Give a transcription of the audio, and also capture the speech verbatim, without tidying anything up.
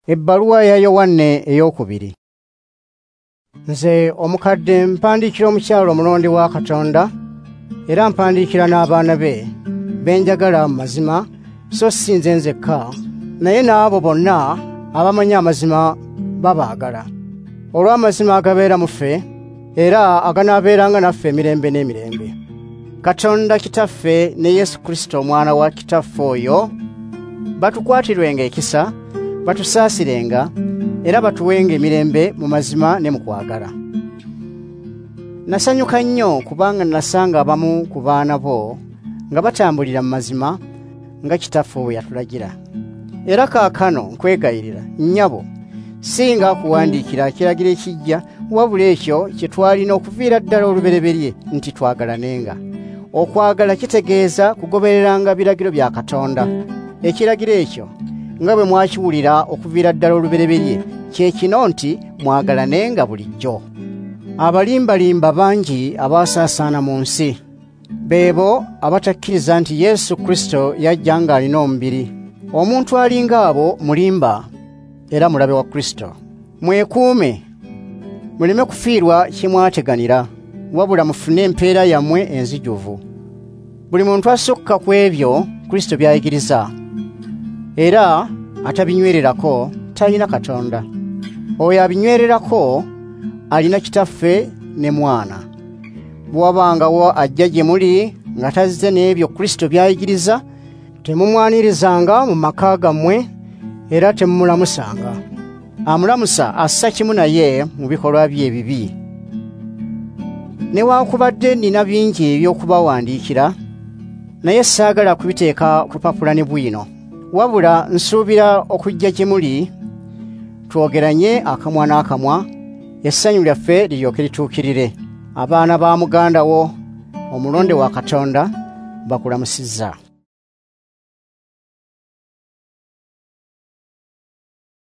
Ebbaluwa ya Yowanne ey'okubiri. Nze omukadde mpandiikira omukyala omulonde wa Katonda, era mpandiikira n'abaana be be njagala mu mazima, so si nze nzekka, naye n'abo bonna abamanyi amazima babaagala. Olw'amazima agabeera mu ffe, era aganaabeeranga naffe emirembe n'emirembe. Katonda Kitaffe ne Yesu Kristo omwana wa Kitaffe oyo batukwatirwenga ekisa, batusaasirenga, era batuwenga emirembe mu mazima ne mu kwagala. Nasanyuka nnyo kubanga nasanga abamu ku baana bo nga batambulira mu mazima nga Kitaffe bwe yatulagira. Era kaakano nkwegayirira, nnyabo, singa akuwandiikira ekiragiro ekijja, wabula ekyo kye twalina okuviira ddala olubereberye nti twagalanenga. Okwagala kitegeeza kugobereranga biragiro bya Katonda. Ekiragiro ekyo nga bwe mwakiwulira okuviira ddala olubereberye kye kino nti mwagalanenga bulijjo. Abalimbalimba bangi abaasaasaana mu nsi, beebo abatakkiriza nti Yesu Kristo yajja ng'alina omubiri. Omuntu alinga abo mulimba era mulabe wa Kristo. Mwekuume, muleme kufiirwa kye mwateganira, wabula mufune empeera yammwe enzijuvu. Buli muntu asukka ku ebyo Kristo by'ayigiriza, era atabinywererako talina Katonda. Oyo abinywererako alina Kitaffe ne Mwana. Bwe wabangawo ajja gye muli nga tazze n'ebyo Kristo by'ayigiriza, temumwanirizanga mu maka gammwe era temumulamusanga. Amulamusa assa kimu naye mu bikolwa bye ebibi. Newaakubadde nnina bingi eby'okubawandiikira, naye saagala kubiteeka ku lupapula ne bwino. Wabula nsuubira okujja gye muli twogeranye akamwa n'akamwa, essanyu lyaffe liryoke lituukirire. Abaana ba muganda wo omulonde wa Katonda bakulamusizza.